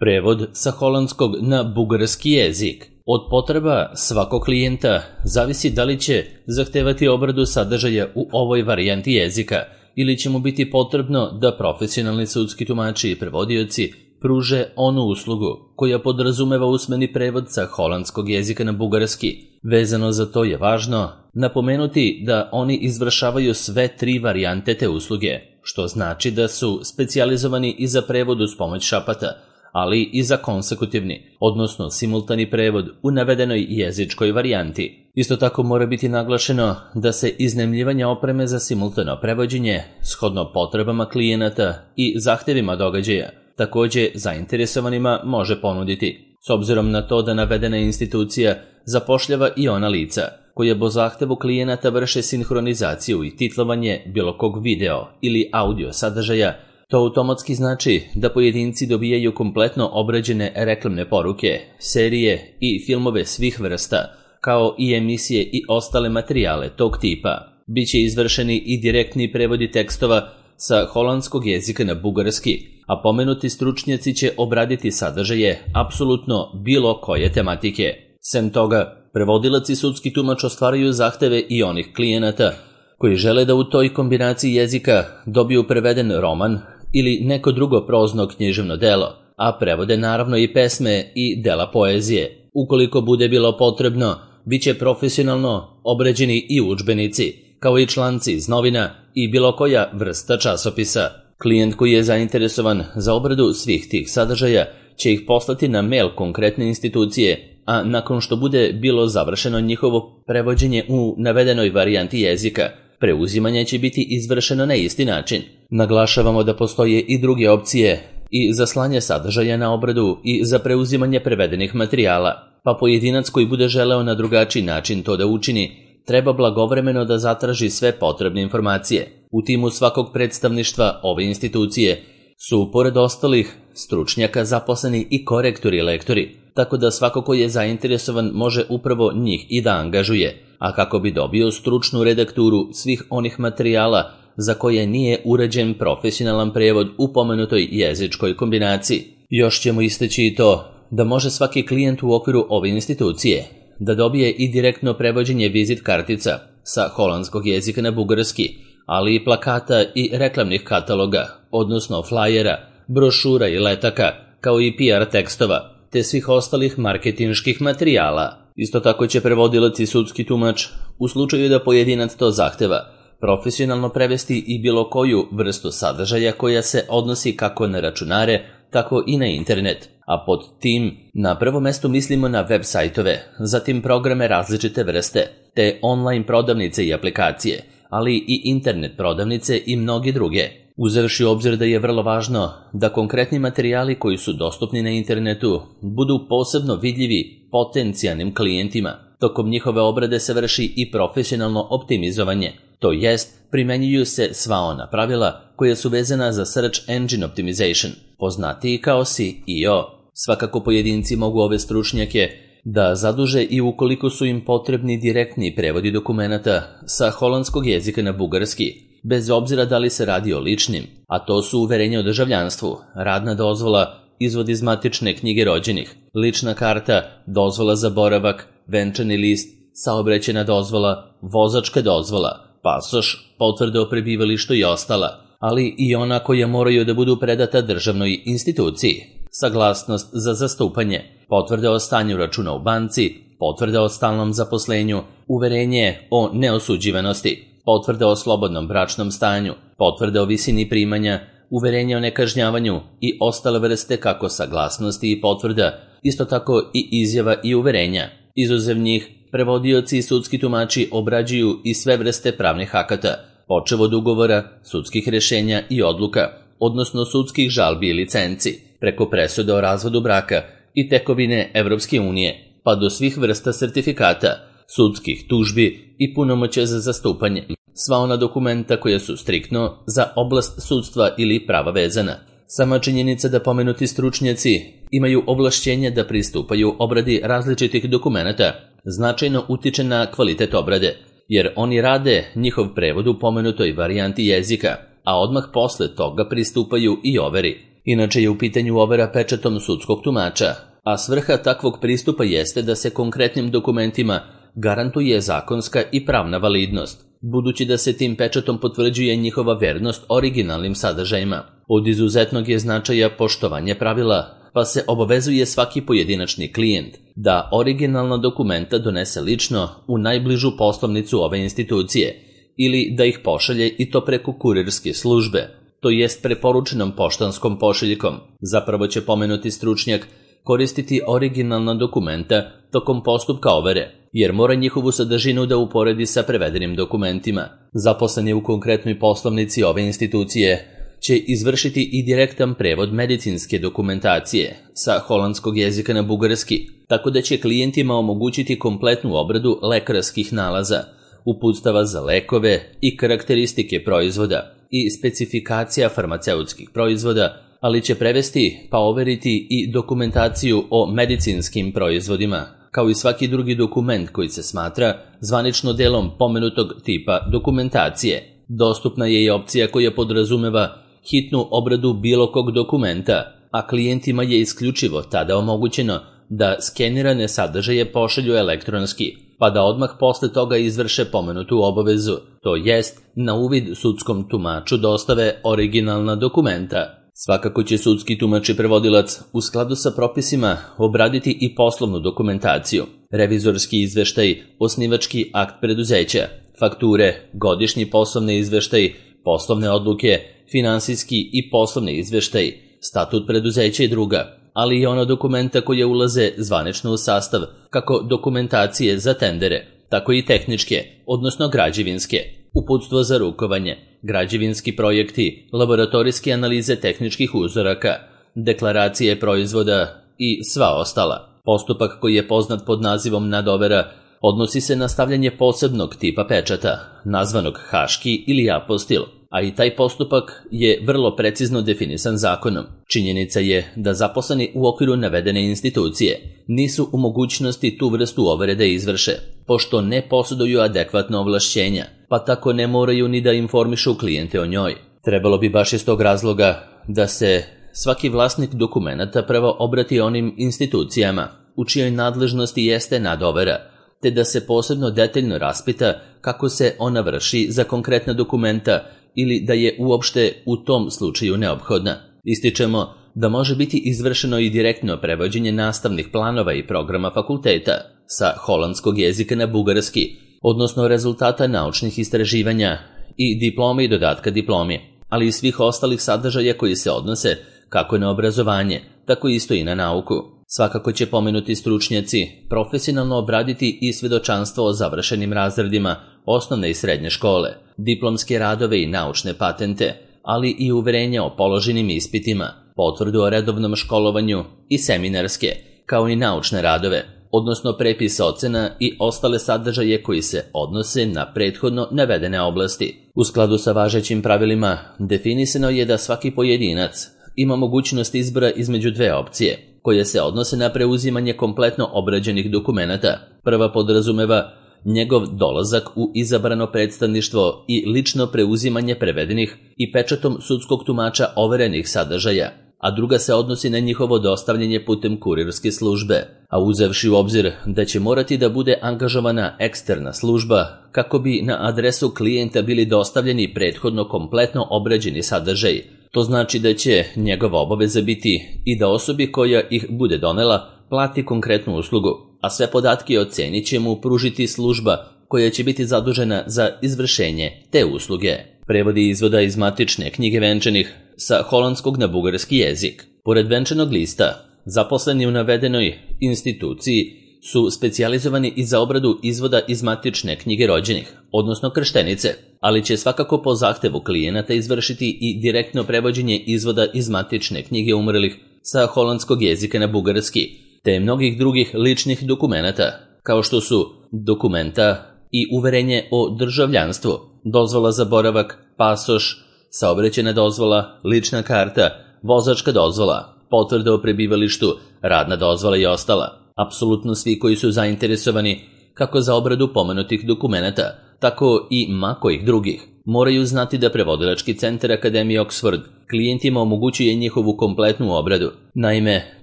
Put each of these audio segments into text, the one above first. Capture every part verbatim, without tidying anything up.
Prevod sa holandskog na bugarski jezik. Od potreba svakog klijenta zavisi da li će zahtevati obradu sadržaja u ovoj varijanti jezika ili će mu biti potrebno da profesionalni sudski tumači i prevodioci pruže onu uslugu koja podrazumeva usmeni prevod sa holandskog jezika na bugarski. Vezano za to je važno napomenuti da oni izvršavaju sve tri varijante te usluge, što znači da su specijalizovani i za prevod uz pomoć šapata, ali i za konsekutivni, odnosno simultani prevod u navedenoj jezičkoj varijanti. Isto tako mora biti naglašeno da se iznajmljivanje opreme za simultano prevođenje, shodno potrebama klijenata i zahtevima događaja, takođe zainteresovanima može ponuditi, s obzirom na to da navedena institucija zapošljava i ona lica koja po zahtevu klijenata vrše sinhronizaciju i titlovanje bilo kog video ili audio sadržaja. To automatski znači da pojedinci dobijaju kompletno obrađene reklamne poruke, serije i filmove svih vrsta, kao i emisije i ostale materijale tog tipa. Biće izvršeni i direktni prevodi tekstova sa holandskog jezika na bugarski, a pomenuti stručnjaci će obraditi sadržaje apsolutno bilo koje tematike. Sem toga, prevodilac i sudski tumač ostvaraju zahteve i onih klijenata koji žele da u toj kombinaciji jezika dobiju preveden roman ili neko drugo prozno književno delo, a prevode naravno i pesme i dela poezije. Ukoliko bude bilo potrebno, bit će profesionalno obrađeni i udžbenici, kao i članci iz novina i bilo koja vrsta časopisa. Klijent koji je zainteresovan za obradu svih tih sadržaja će ih poslati na mail konkretne institucije, a nakon što bude bilo završeno njihovo prevođenje u navedenoj varijanti jezika, preuzimanje će biti izvršeno na isti način. Naglašavamo da postoje i druge opcije i za slanje sadržaja na obradu i za preuzimanje prevedenih materijala, pa pojedinac koji bude želeo na drugačiji način to da učini, treba blagovremeno da zatraži sve potrebne informacije. U timu svakog predstavništva ove institucije su, pored ostalih, stručnjaka zaposleni i korektori i lektori, tako da svako ko je zainteresovan može upravo njih i da angažuje, a kako bi dobio stručnu redakturu svih onih materijala za koje nije urađen profesionalan prevod u pomenutoj jezičkoj kombinaciji. Još ćemo istaći i to da može svaki klijent u okviru ove institucije da dobije i direktno prevođenje vizit kartica sa holandskog jezika na bugarski, ali i plakata i reklamnih kataloga, odnosno flajera, brošura i letaka, kao i P R tekstova, te svih ostalih marketinških materijala. Isto tako će prevodilac i sudski tumač, u slučaju da pojedinac to zahteva, profesionalno prevesti i bilo koju vrstu sadržaja koja se odnosi kako na računare, tako i na internet, a pod tim na prvo mesto mislimo na web sajtove, zatim programe različite vrste, te online prodavnice i aplikacije, ali i internet prodavnice i mnogi druge. Uzevši u obzir da je vrlo važno da konkretni materijali koji su dostupni na internetu budu posebno vidljivi potencijalnim klijentima, tokom njihove obrade se vrši i profesionalno optimizovanje, to jest primenjuju se sva ona pravila koja su vezana za Search Engine Optimization, poznatiji kao S E O. Svakako pojedinci mogu ove stručnjake da zaduže i ukoliko su im potrebni direktni prevodi dokumenata sa holandskog jezika na bugarski, bez obzira da li se radi o ličnim, a to su uverenje o državljanstvu, radna dozvola, izvod iz matične knjige rođenih, lična karta, dozvola za boravak, venčani list, saobraćajna dozvola, vozačka dozvola, pasoš, potvrda o prebivalištu i ostala, ali i ona koja moraju da budu predata državnoj instituciji, saglasnost za zastupanje, potvrda o stanju računa u banci, potvrda o stalnom zaposlenju, uverenje o neosuđivanosti, potvrda o slobodnom bračnom stanju, potvrda o visini primanja, uverenje o nekažnjavanju i ostale vrste kako saglasnosti i potvrda, isto tako i izjava i uverenja. Izuzev njih, prevodioci i sudski tumači obrađuju i sve vrste pravnih akata, počev od ugovora, sudskih rešenja i odluka, odnosno sudskih žalbi i licenci, preko presuda o razvodu braka i tekovine Evropske unije, pa do svih vrsta sertifikata, sudskih tužbi i punomoćja za zastupanje. Sva ona dokumenta koja su striktno za oblast sudstva ili prava vezana. Sama činjenica da pomenuti stručnjaci imaju ovlašćenje da pristupaju obradi različitih dokumenata značajno utiče na kvalitet obrade, jer oni rade njihov prevod u pomenutoj varijanti jezika, a odmah posle toga pristupaju i overi. Inače je u pitanju overa pečatom sudskog tumača, a svrha takvog pristupa jeste da se konkretnim dokumentima garantuje zakonska i pravna validnost, budući da se tim pečatom potvrđuje njihova vernost originalnim sadržajima. Od izuzetnog je značaja poštovanje pravila, pa se obavezuje svaki pojedinačni klijent da originalna dokumenta donese lično u najbližu poslovnicu ove institucije ili da ih pošalje i to preko kurirske službe, to jest preporučenom poštanskom pošiljkom. Zapravo će pomenuti stručnjak koristiti originalna dokumenta tokom postupka overe, jer mora njihovu sadržinu da uporedi sa prevedenim dokumentima. Zaposleni u konkretnoj poslovnici ove institucije će izvršiti i direktan prevod medicinske dokumentacije sa holandskog jezika na bugarski, tako da će klijentima omogućiti kompletnu obradu lekarskih nalaza, uputstava za lekove i karakteristike proizvoda i specifikacija farmaceutskih proizvoda, ali će prevesti pa overiti i dokumentaciju o medicinskim proizvodima, kao i svaki drugi dokument koji se smatra zvanično delom pomenutog tipa dokumentacije. Dostupna je i opcija koja podrazumeva hitnu obradu bilo kog dokumenta, a klijentima je isključivo tada omogućeno da skenirane sadržaje pošalju elektronski, pa da odmah posle toga izvrše pomenutu obavezu, to jest na uvid sudskom tumaču dostave originalna dokumenta. Svakako će sudski tumač i prevodilac u skladu sa propisima obraditi i poslovnu dokumentaciju, revizorski izveštaj, osnivački akt preduzeća, fakture, godišnji poslovni izveštaj, poslovne odluke, finansijski i poslovni izveštaj, statut preduzeća i druga, ali i ona dokumenta koje ulaze zvanično u sastav kako dokumentacije za tendere, tako i tehničke, odnosno građevinske, uputstvo za rukovanje, građevinski projekti, laboratorijske analize tehničkih uzoraka, deklaracije proizvoda i sva ostala. Postupak koji je poznat pod nazivom nadovera odnosi se na stavljanje posebnog tipa pečata, nazvanog haški ili apostil, a i taj postupak je vrlo precizno definisan zakonom. Činjenica je da zaposleni u okviru navedene institucije nisu u mogućnosti tu vrstu overe da izvrše, pošto ne posjeduju adekvatna ovlašćenja, pa tako ne moraju ni da informišu klijente o njoj. Trebalo bi baš iz tog razloga da se svaki vlasnik dokumenata prvo obrati onim institucijama u čijoj nadležnosti jeste nadovera, te da se posebno detaljno raspita kako se ona vrši za konkretna dokumenta ili da je uopšte u tom slučaju neophodna. Ističemo da može biti izvršeno i direktno prevođenje nastavnih planova i programa fakulteta sa holandskog jezika na bugarski, odnosno rezultata naučnih istraživanja i diplome i dodatka diplomi, ali i svih ostalih sadržaja koji se odnose kako na obrazovanje, tako isto i na nauku. Svakako će pomenuti stručnjaci profesionalno obraditi i svedočanstvo o završenim razredima osnovne i srednje škole, diplomske radove i naučne patente, ali i uverenja o položenim ispitima, potvrdu o redovnom školovanju i seminarske, kao i naučne radove, odnosno prepis ocena i ostale sadržaje koji se odnose na prethodno navedene oblasti. U skladu sa važećim pravilima definisano je da svaki pojedinac ima mogućnost izbora između dve opcije, koje se odnose na preuzimanje kompletno obrađenih dokumenata. Prva podrazumeva njegov dolazak u izabrano predstavništvo i lično preuzimanje prevedenih i pečatom sudskog tumača overenih sadržaja, a druga se odnosi na njihovo dostavljanje putem kurirske službe, a uzevši u obzir da će morati da bude angažovana eksterna služba kako bi na adresu klijenta bili dostavljeni prethodno kompletno obrađeni sadržaj. To znači da će njegova obaveza biti i da osobi koja ih bude donela plati konkretnu uslugu, a sve podatke ocenit će mu pružiti služba koja će biti zadužena za izvršenje te usluge. Prevodi izvoda iz matične knjige venčanih sa holandskog na bugarski jezik. Pored venčanog lista, zaposleni u navedenoj instituciji su specijalizovani i za obradu izvoda iz matične knjige rođenih, odnosno krštenice, ali će svakako po zahtevu klijenata izvršiti i direktno prevođenje izvoda iz matične knjige umrlih sa holandskog jezika na bugarski, te mnogih drugih ličnih dokumenata, kao što su dokumenta i uverenje o državljanstvu, dozvola za boravak, pasoš, saobraćajna dozvola, lična karta, vozačka dozvola, potvrda o prebivalištu, radna dozvola i ostala. Apsolutno svi koji su zainteresovani kako za obradu pomenutih dokumenata, tako i ma kojih drugih, moraju znati da prevodilački centar Akademije Oxford klijentima omogućuje njihovu kompletnu obradu. Naime,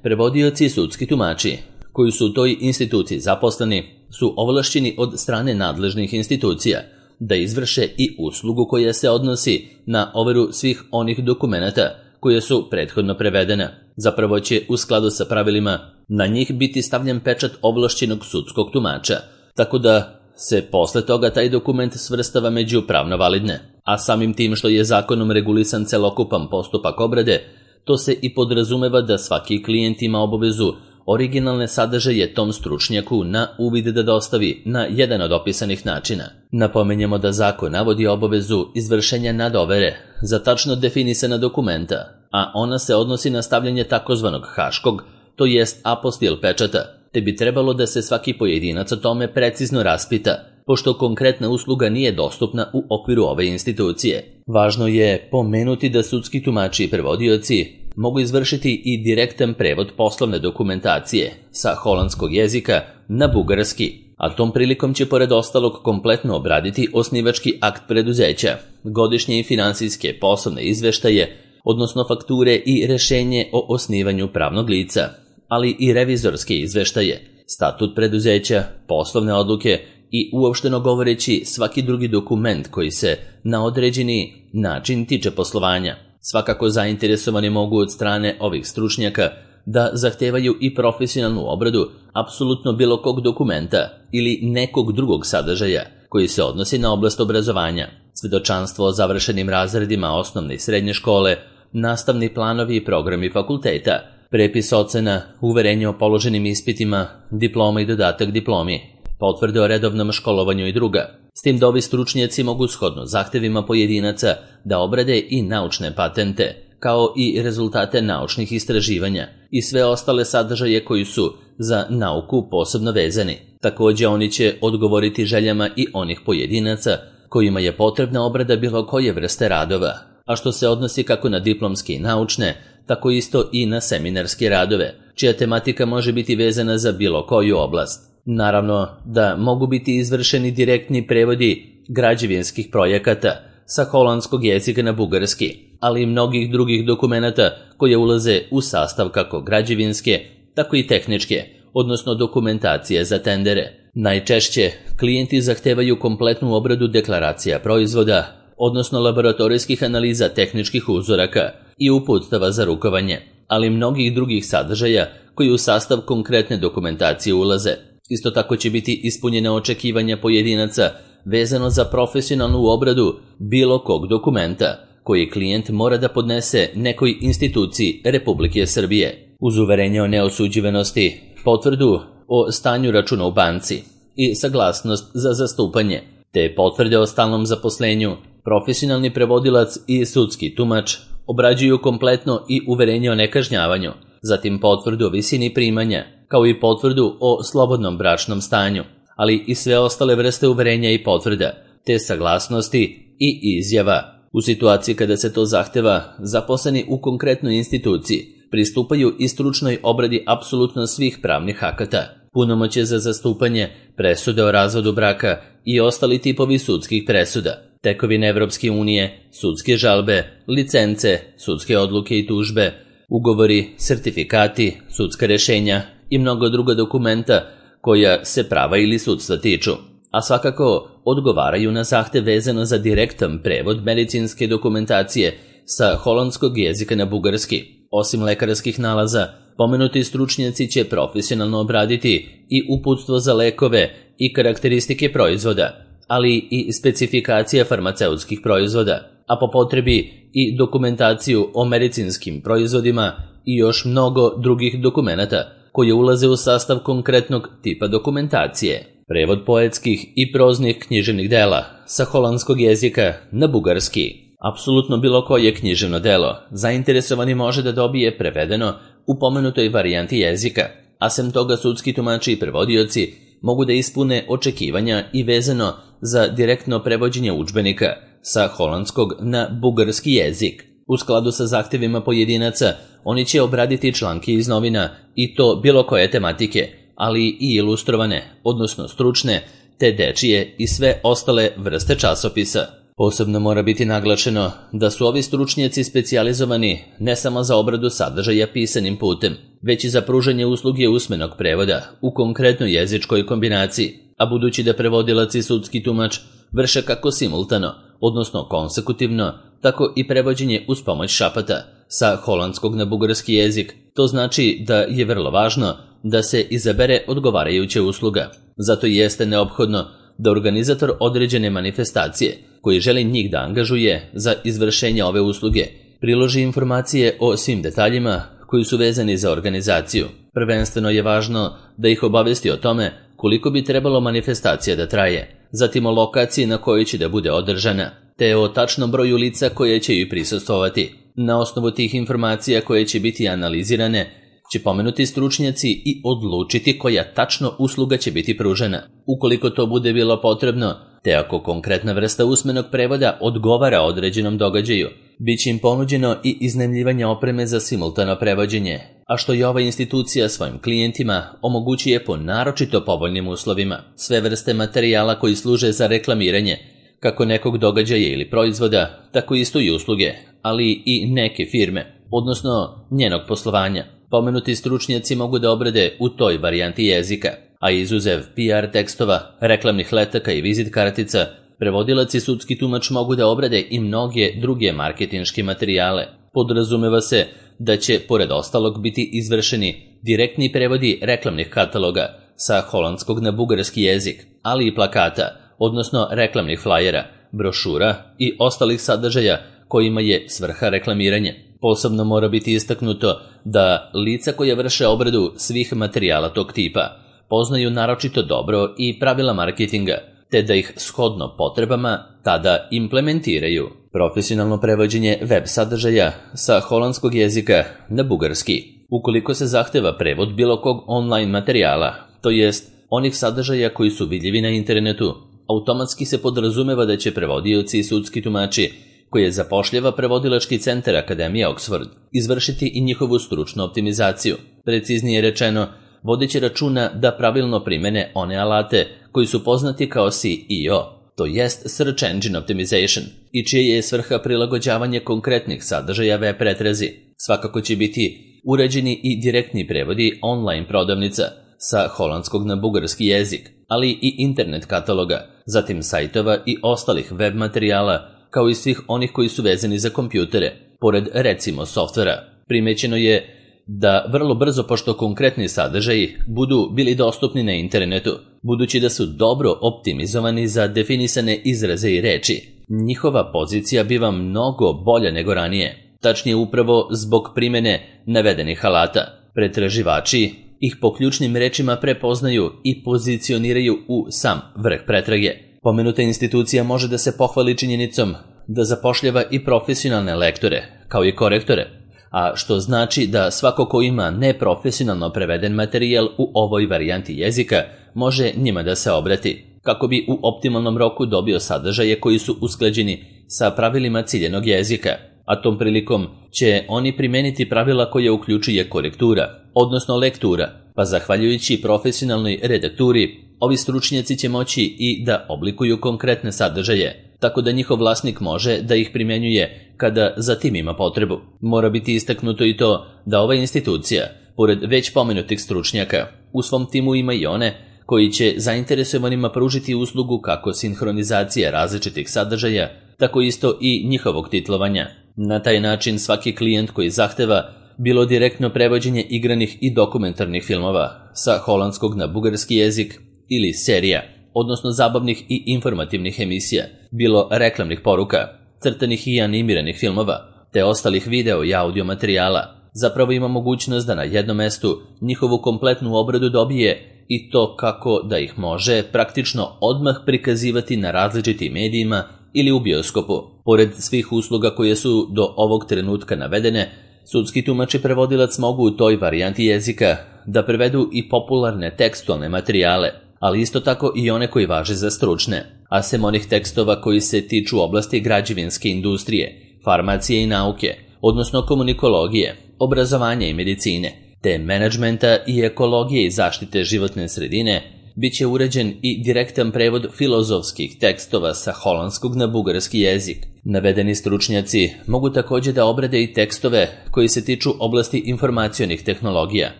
prevodioci i sudski tumači koji su u toj instituciji zaposleni su ovlašćeni od strane nadležnih institucija da izvrše i uslugu koja se odnosi na overu svih onih dokumenata koje su prethodno prevedena. Zapravo će u skladu sa pravilima na njih biti stavljen pečat ovlašćenog sudskog tumača, tako da se posle toga taj dokument svrstava među pravno validne. A samim tim što je zakonom regulisan celokupan postupak obrade, to se i podrazumeva da svaki klijent ima obavezu originalne sadržaje tom stručnjaku na uvid da dostavi na jedan od opisanih načina. Napomenjemo da zakon navodi obavezu izvršenja nadovere za tačno definisana dokumenta, a ona se odnosi na stavljanje takozvanog haškog, to jest apostil pečata, te bi trebalo da se svaki pojedinac o tome precizno raspita, pošto konkretna usluga nije dostupna u okviru ove institucije. Važno je pomenuti da sudski tumači i prevodioci mogu izvršiti i direktan prevod poslovne dokumentacije sa holandskog jezika na bugarski, a tom prilikom će pored ostalog kompletno obraditi osnivački akt preduzeća, godišnje i finansijske poslovne izveštaje, odnosno fakture i rešenje o osnivanju pravnog lica, ali i revizorske izveštaje, statut preduzeća, poslovne odluke i uopšteno govoreći svaki drugi dokument koji se na određeni način tiče poslovanja. Svakako zainteresovani mogu od strane ovih stručnjaka da zahtevaju i profesionalnu obradu apsolutno bilo kog dokumenta ili nekog drugog sadržaja koji se odnosi na oblast obrazovanja, svedočanstvo o završenim razredima osnovne i srednje škole, nastavni planovi i programi fakulteta, prepis ocena, uverenje o položenim ispitima, diploma i dodatak diplomi, potvrde o redovnom školovanju i druga. S tim da ovi stručnjaci mogu shodno zahtevima pojedinaca da obrade i naučne patente, kao i rezultate naučnih istraživanja i sve ostale sadržaje koji su za nauku posebno vezani. Takođe oni će odgovoriti željama i onih pojedinaca kojima je potrebna obrada bilo koje vrste radova, a što se odnosi kako na diplomske i naučne, tako isto i na seminarske radove, čija tematika može biti vezana za bilo koju oblast. Naravno da mogu biti izvršeni direktni prevodi građevinskih projekata sa holandskog jezika na bugarski, ali i mnogih drugih dokumenata koje ulaze u sastav kako građevinske, tako i tehničke, odnosno dokumentacije za tendere. Najčešće klijenti zahtevaju kompletnu obradu deklaracija proizvoda, odnosno laboratorijskih analiza tehničkih uzoraka i uputstava za rukovanje, ali i mnogih drugih sadržaja koji u sastav konkretne dokumentacije ulaze. Isto tako će biti ispunjene očekivanja pojedinaca vezano za profesionalnu obradu bilo kog dokumenta koji klijent mora da podnese nekoj instituciji Republike Srbije, uz uverenje o neosuđivanosti, potvrdu o stanju računa u banci i saglasnost za zastupanje, te potvrde o stalnom zaposlenju. Profesionalni prevodilac i sudski tumač obrađuju kompletno i uverenje o nekažnjavanju, zatim potvrdu o visini primanja, kao i potvrdu o slobodnom bračnom stanju, ali i sve ostale vrste uverenja i potvrda, te saglasnosti i izjava. U situaciji kada se to zahteva, zaposleni u konkretnoj instituciji pristupaju i stručnoj obradi apsolutno svih pravnih akata, punomoćje za zastupanje, presude o razvodu braka i ostali tipovi sudskih presuda, tekovine Evropske unije, sudske žalbe, licence, sudske odluke i tužbe, ugovori, sertifikati, sudska rešenja i mnogo druga dokumenta koja se prava ili sudstva tiču, a svakako odgovaraju na zahtev vezano za direktan prevod medicinske dokumentacije sa holandskog jezika na bugarski. Osim lekarskih nalaza, pomenuti stručnjaci će profesionalno obraditi i uputstvo za lekove i karakteristike proizvoda, ali i specifikacija farmaceutskih proizvoda, a po potrebi i dokumentaciju o medicinskim proizvodima i još mnogo drugih dokumenata koje ulaze u sastav konkretnog tipa dokumentacije. Prevod poetskih i proznih književnih dela sa holandskog jezika na bugarski. Apsolutno bilo koje književno delo zainteresovani može da dobije prevedeno u pomenutoj varijanti jezika, a sem toga sudski tumači i prevodioci mogu da ispune očekivanja i vezano za direktno prevođenje udžbenika sa holandskog na bugarski jezik. U skladu sa zahtevima pojedinaca, oni će obraditi članke iz novina i to bilo koje tematike, ali i ilustrovane, odnosno stručne, te dečije i sve ostale vrste časopisa. Posebno mora biti naglašeno da su ovi stručnjaci specijalizovani ne samo za obradu sadržaja pisanim putem, već i za pružanje usluge usmenog prevoda u konkretnoj jezičkoj kombinaciji, a budući da prevodilac i sudski tumač vrše kako simultano, odnosno konsekutivno, tako i prevođenje uz pomoć šapata sa holandskog na bugarski jezik, to znači da je vrlo važno da se izabere odgovarajuća usluga. Zato jeste neophodno da organizator određene manifestacije koji želi njih da angažuje za izvršenje ove usluge priloži informacije o svim detaljima koji su vezani za organizaciju. Prvenstveno je važno da ih obavesti o tome koliko bi trebalo manifestacija da traje, zatim o lokaciji na kojoj će da bude održana, te o tačnom broju lica koje će joj prisustvovati. Na osnovu tih informacija koje će biti analizirane, će pomenuti stručnjaci i odlučiti koja tačno usluga će biti pružena. Ukoliko to bude bilo potrebno, te ako konkretna vrsta usmenog prevoda odgovara određenom događaju, bit će im ponuđeno i iznajmljivanje opreme za simultano prevođenje, a što je ova institucija svojim klijentima omogućuje po naročito povoljnim uslovima. Sve vrste materijala koji služe za reklamiranje, kako nekog događaja ili proizvoda, tako isto i usluge, ali i neke firme, odnosno njenog poslovanja. Pomenuti stručnjaci mogu da obrade u toj varijanti jezika, a izuzev P R tekstova, reklamnih letaka i vizit kartica, prevodilac i sudski tumač mogu da obrade i mnoge druge marketinške materijale. Podrazumeva se da će, pored ostalog, biti izvršeni direktni prevodi reklamnih kataloga sa holandskog na bugarski jezik, ali i plakata, odnosno reklamnih flajera, brošura i ostalih sadržaja kojima je svrha reklamiranje. Posebno mora biti istaknuto da lica koja vrše obradu svih materijala tog tipa poznaju naročito dobro i pravila marketinga, te da ih shodno potrebama tada implementiraju. Profesionalno prevođenje web sadržaja sa holandskog jezika na bugarski. Ukoliko se zahteva prevod bilo kog online materijala, to jest onih sadržaja koji su vidljivi na internetu, automatski se podrazumeva da će prevodioci i sudski tumači koje zapošljava prevodilački centar Akademije Oxford izvršiti i njihovu stručnu optimizaciju. Preciznije rečeno, vodeći računa da pravilno primene one alate koji su poznati kao S E O, to jest Search Engine Optimization, i čije je svrha prilagođavanje konkretnih sadržaja web pretrazi. Svakako će biti uređeni i direktni prevodi online prodavnica sa holandskog na bugarski jezik, ali i internet kataloga, zatim sajtova i ostalih web materijala, kao i svih onih koji su vezani za kompjutere, pored recimo softvera. Primećeno je da vrlo brzo, pošto konkretni sadržaji budu bili dostupni na internetu, budući da su dobro optimizovani za definisane izraze i reči, njihova pozicija biva mnogo bolja nego ranije. Tačnije upravo zbog primene navedenih alata. Pretraživači ih po ključnim rečima prepoznaju i pozicioniraju u sam vrh pretrage. Pomenuta institucija može da se pohvali činjenicom da zapošljava i profesionalne lektore, kao i korektore, a što znači da svako ko ima neprofesionalno preveden materijal u ovoj varijanti jezika može njima da se obrati, kako bi u optimalnom roku dobio sadržaje koji su usklađeni sa pravilima ciljenog jezika, a tom prilikom će oni primeniti pravila koje uključuje korektura, odnosno lektura, pa zahvaljujući profesionalnoj redakturi, ovi stručnjaci će moći i da oblikuju konkretne sadržaje, tako da njihov vlasnik može da ih primenjuje kada za tim ima potrebu. Mora biti istaknuto i to da ova institucija, pored već pomenutih stručnjaka, u svom timu ima i one koji će zainteresovanima pružiti uslugu kako sinhronizacije različitih sadržaja, tako isto i njihovog titlovanja. Na taj način svaki klijent koji zahteva bilo direktno prevođenje igranih i dokumentarnih filmova sa holandskog na bugarski jezik ili serija, odnosno zabavnih i informativnih emisija, bilo reklamnih poruka, crtanih i animiranih filmova, te ostalih video i audio materijala, zapravo ima mogućnost da na jednom mestu njihovu kompletnu obradu dobije i to kako da ih može praktično odmah prikazivati na različitim medijima ili u bioskopu. Pored svih usluga koje su do ovog trenutka navedene, sudski tumač i prevodilac mogu u toj varijanti jezika da prevedu i popularne tekstualne materijale, ali isto tako i one koji važe za stručne, a sem onih tekstova koji se tiču oblasti građevinske industrije, farmacije i nauke, odnosno komunikologije, obrazovanja i medicine, te menadžmenta i ekologije i zaštite životne sredine, Biće uređen i direktan prevod filozofskih tekstova sa holandskog na bugarski jezik. Navedeni stručnjaci mogu također da obrade i tekstove koji se tiču oblasti informacionih tehnologija,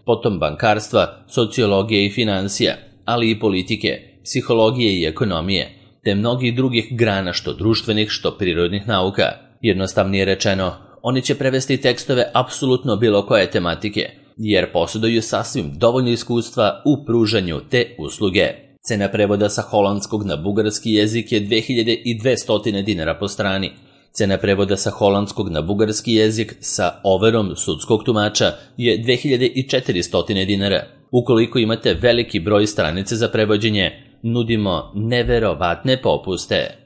potom bankarstva, sociologije i financija, ali i politike, psihologije i ekonomije, te mnogih drugih grana što društvenih, što prirodnih nauka. Jednostavnije rečeno, oni će prevesti tekstove apsolutno bilo koje tematike, jer posjeduju sasvim dovoljno iskustva u pružanju te usluge. Cena prevoda sa holandskog na bugarski jezik je dve hiljade dvesta dinara po strani. Cena prevoda sa holandskog na bugarski jezik sa overom sudskog tumača je dve hiljade četiristo dinara. Ukoliko imate veliki broj stranice za prevođenje, nudimo neverovatne popuste.